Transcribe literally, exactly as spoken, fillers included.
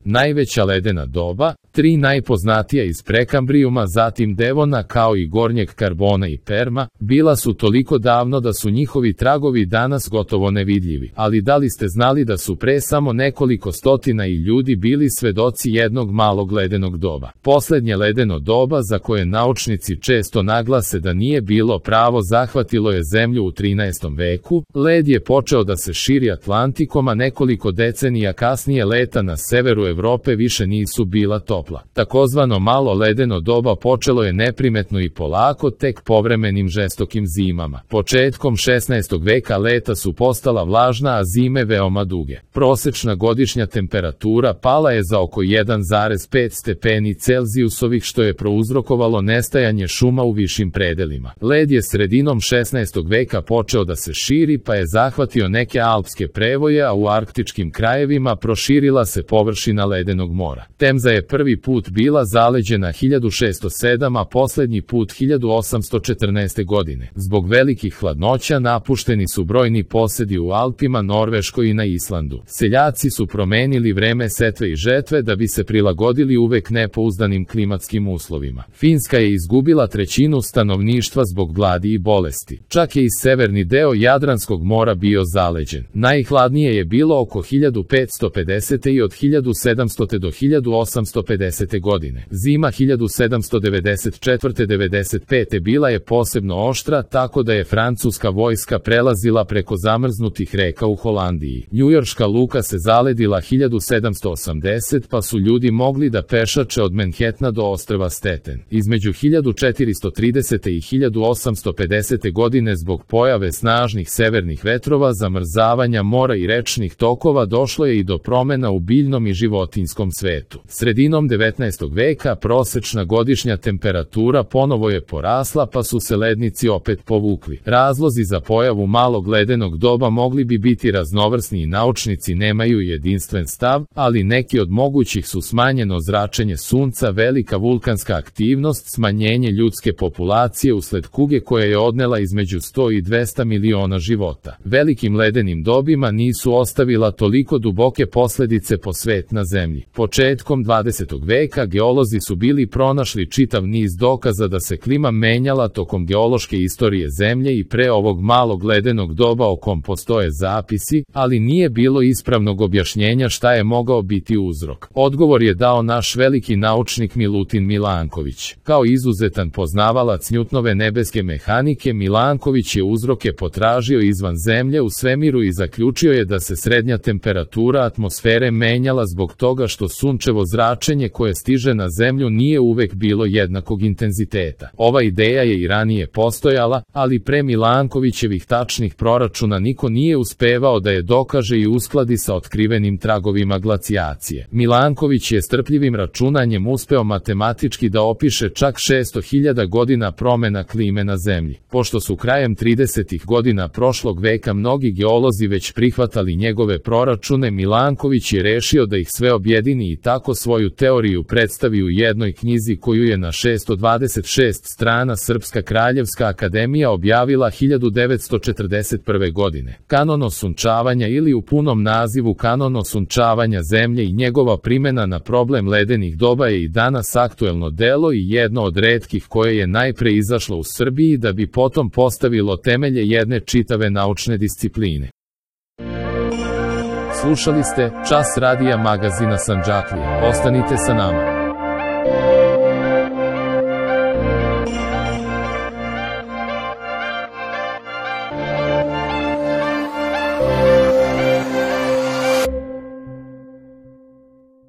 Najveća ledena doba, tri najpoznatija iz Prekambrijuma, zatim Devona kao i Gornjeg Karbona i Perma, bila su toliko davno da su njihovi tragovi danas gotovo nevidljivi. Ali da li ste znali da su pre samo nekoliko stotina i ljudi bili svedoci jednog malog ledenog doba? Poslednje ledeno doba, za koje naučnici često naglase da nije bilo pravo, zahvatilo je Zemlju u trinaestom veku. Led je počeo da se širi Atlantikom, a nekoliko decenija kasnije leta na severu Evrope više nisu bila topla. Takozvano malo ledeno doba počelo je neprimetno i polako, tek povremenim žestokim zimama. Početkom šesnaestog veka leta su postala vlažna, a zime veoma duge. Prosečna godišnja temperatura pala je za oko jedan zarez pet stepeni Celzijusovih, što je prouzrokovalo nestajanje šuma u višim predelima. Led je sredinom šesnaestog veka počeo da se širi, pa je zahvatio neke alpske prevoje, a u arktičkim krajevima proširila se površina ledenog mora. Temza je prvi put bila zaleđena hiljadu šeststo sedam, a poslednji put hiljadu osamsto četrnaeste. godine. Zbog velikih hladnoća napušteni su brojni posedi u Alpima, Norveškoj i na Islandu. Seljaci su promenili vreme setve i žetve da bi se prilagodili uvek nepouzdanim klimatskim uslovima. Finska je izgubila trećinu stanovništva zbog gladi i bolesti. Čak je i severni deo Jadranskog mora bio zaleđen. Najhladnije je bilo oko hiljadu petsto pedesete. i od hiljadu sedamstote. do hiljadu osamsto pedesete. godine. Zima hiljadu sedamsto devedeset četvrte. do devedeset pete. bila je posebno oštra, tako da je francuska vojska prelazila preko zamrznutih reka u Holandiji. Njujorška luka se zaledila hiljadu sedamsto osamdesete. pa su ljudi mogli da pešače od Manhattana do ostrva Staten. Između hiljadu četiristo tridesete. i hiljadu osamsto pedesete. godine zbog pojave snažnih severnih vetrova, zamrzavanja mora i rečnih tokova došlo je i do promena u biljnom i životinjskom svetu. Sredinom devetnaestog veka prosečna godišnja temperatura ponovo je porasla, pa su se lednici opet povukli. Razlozi za pojavu malog ledenog doba mogli bi biti raznovrsni i naučnici nemaju jedinstven stav, ali neki od mogućih su smanjeno zračenje sunca, velika vulkanska aktivnost, smanjenje ljudske populacije usled kuge koja je odnela između sto i dvesta miliona života. Velikim ledenim dobima nisu ostavila toliko duboke posledice po svet na Zemlji. Početkom dvadesetog veka geolozi su bili pronašli čitav niz dokaza da se klima menjala tokom geološke istorije Zemlje i pre ovog malog ledenog doba, o kom postoje zapisi, ali nije bilo ispravnog objašnjenja šta je mogao biti uzrok. Odgovor je dao naš veliki naučnik Milutin Milanković. Kao izuzetan poznavalac Newtonove nebeske mehanike, Milanković je uzroke potražio izvan Zemlje u svemiru i zaključio je da se srednja temperatura atmosfere menjala zbog toga što sunčevo zračenje koje stiže na Zemlju nije uvek bilo jednakog intenziteta. Ova ideja je i ranije postojala, ali pre Milankovićevih tačnih proračuna niko nije uspevao da je dokaže i uskladi sa otkrivenim tragovima glacijacije. Milanković je strpljivim računanjem uspeo matematički da opiše čak šesto hiljada godina promena klime na Zemlji. Pošto su krajem tridesetih godina prošlog veka mnogi geolozi već prihvatali njegove proračune, Milanković je rešio da ih sve objedini i tako svoju teoriju predstavi u jednoj knjizi koju je na šesto dvadeset šest strana Srpska kraljevska akademija objavila hiljadu devetsto četrdeset prve. godine. Kanon osunčavanja, ili u punom nazivu Kanon osunčavanja Zemlje i njegova primena na problem ledenih doba, je i danas aktuelno delo i jedno od retkih koje je najpre izašlo u Srbiji da bi potom postavilo temelje jedne čitave naučne discipline. Slušali ste Čas radija magazina Sandžaklija. Ostanite sa nama.